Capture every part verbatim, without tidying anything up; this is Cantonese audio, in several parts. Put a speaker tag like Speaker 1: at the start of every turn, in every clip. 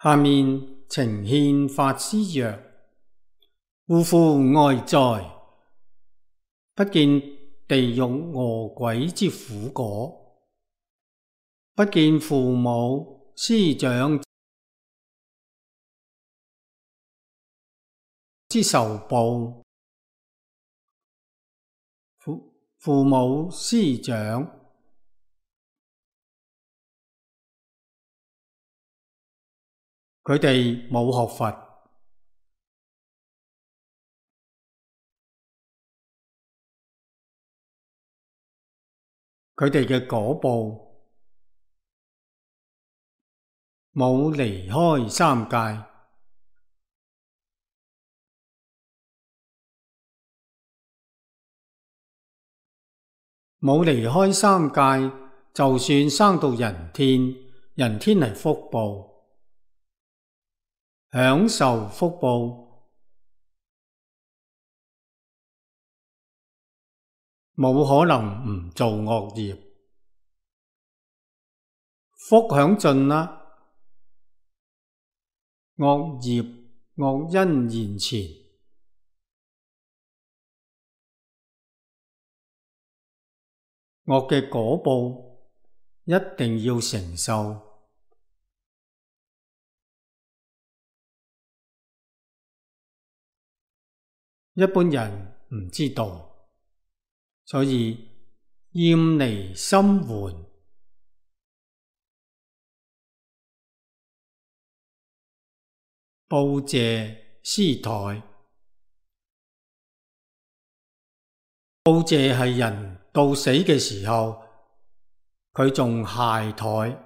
Speaker 1: 下面呈獻法師曰：嗚呼哀哉！不見地獄餓鬼之苦果，不見父母師長之仇報。父父母師長，佢哋冇學佛，佢哋嘅果報冇離開三界，冇離開三界，就算生到人天，人天係福報，享受福報，冇可能唔做惡業，福享盡啦，惡業惡因現前，惡嘅果報一定要承受。一般人唔知道，所以厭離心緩，報謝師台。報謝係人到死嘅時候，佢仲懈怠，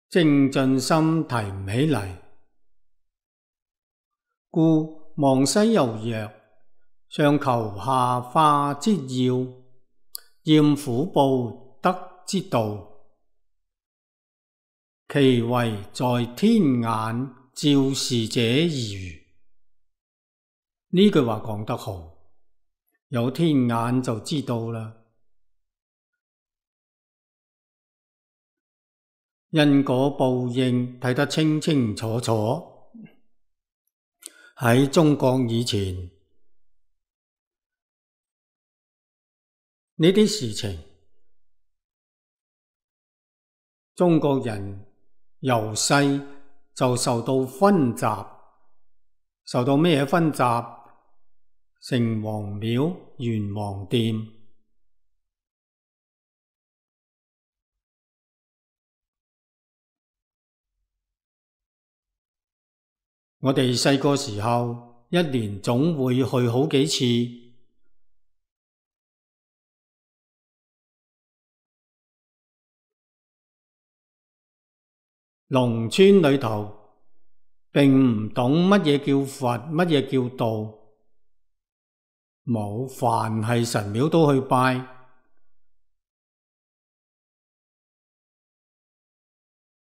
Speaker 1: 精進心提唔起嚟，故忘西遊曰：上求下化之要，厭苦報得之道，其為在天眼照視者矣。呢句話講得好，有天眼就知道啦。因果報應睇得清清楚楚。喺中國以前，呢啲事情，中國人由細就受到熏習，受到咩熏習？城隍廟、元皇殿，我哋細個時候，一年總會去好幾次。農村裏頭並唔懂乜嘢叫佛，乜嘢叫道，冇，凡係神廟都去拜。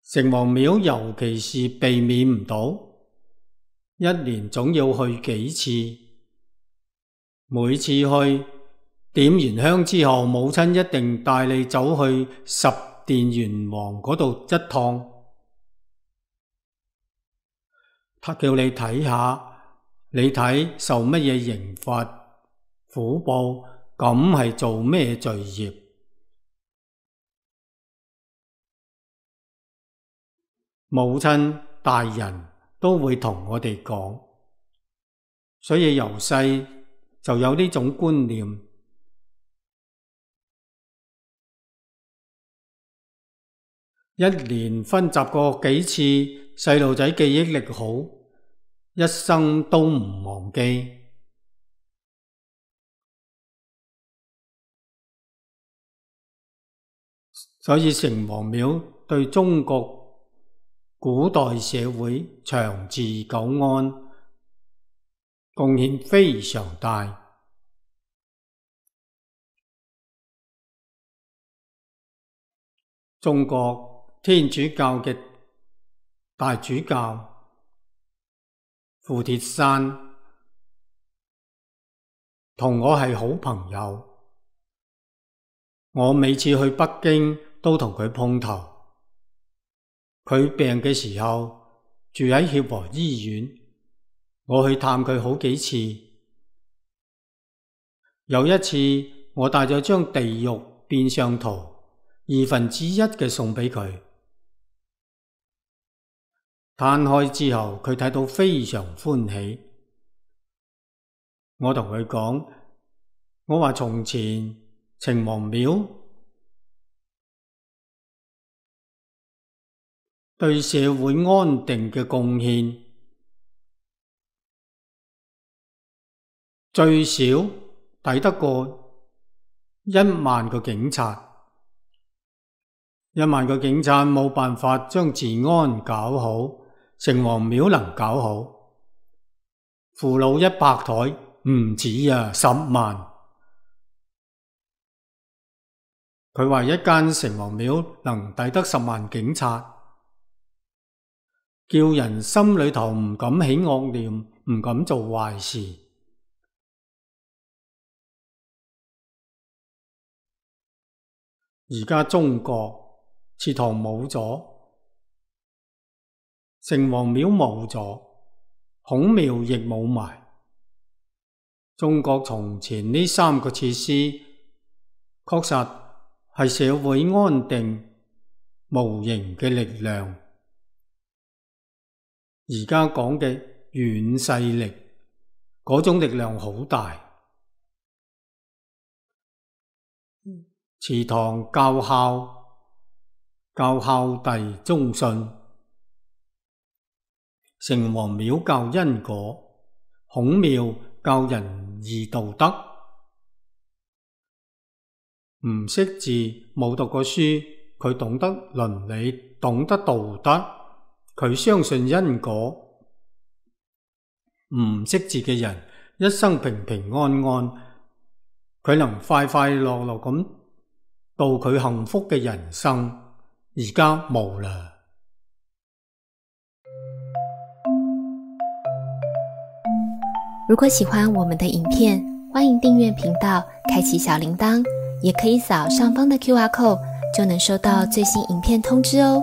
Speaker 1: 城隍廟尤其是避免唔到，一年總要去幾次。每次去點完香之後，母親一定帶你走去十殿閻王嗰度一趟。他叫你睇下，你睇受乜嘢刑罰苦報，咁係做咩罪業？母親大人都會同我哋講，所以由細就有呢種觀念。一年熏習過幾次，細路仔記憶力好，一生都唔忘記。所以城隍廟對中國古代社會長治久安貢獻非常大。中國天主教嘅大主教傅鐵山同我係好朋友，我每次去北京都同佢碰頭。佢病嘅時候住喺協和醫院，我去探佢好幾次。有一次我帶咗張地獄變相圖二分之一嘅送俾佢，攤開之後佢睇到非常歡喜。我同佢講，我話從前城隍廟對社會安定嘅貢獻最少抵得過一萬個警察，一萬個警察冇辦法將治安搞好，城隍廟能搞好，父老一百台唔止啊，十萬。佢話一間城隍廟能抵得十萬警察，叫人心裏頭唔敢起惡念，唔敢做壞事。而家中國祠堂冇咗，城隍廟冇咗，孔廟亦冇埋。中國從前呢三個設施確實係社會安定無形嘅力量。而家講嘅軟勢力，嗰種力量好大。祠堂教孝，教孝弟忠信；城隍廟教因果，孔廟教仁義道德。唔識字冇讀過書，佢懂得倫理，懂得道德，佢相信因果。唔識字嘅人一生平平安安，佢能快快樂樂咁度佢幸福嘅人生。而家冇啦。
Speaker 2: 如果喜歡我們的影片，歡迎訂閱頻道，開啟小鈴鐺，也可以掃上方的 Q R code，就能收到最新影片通知哦。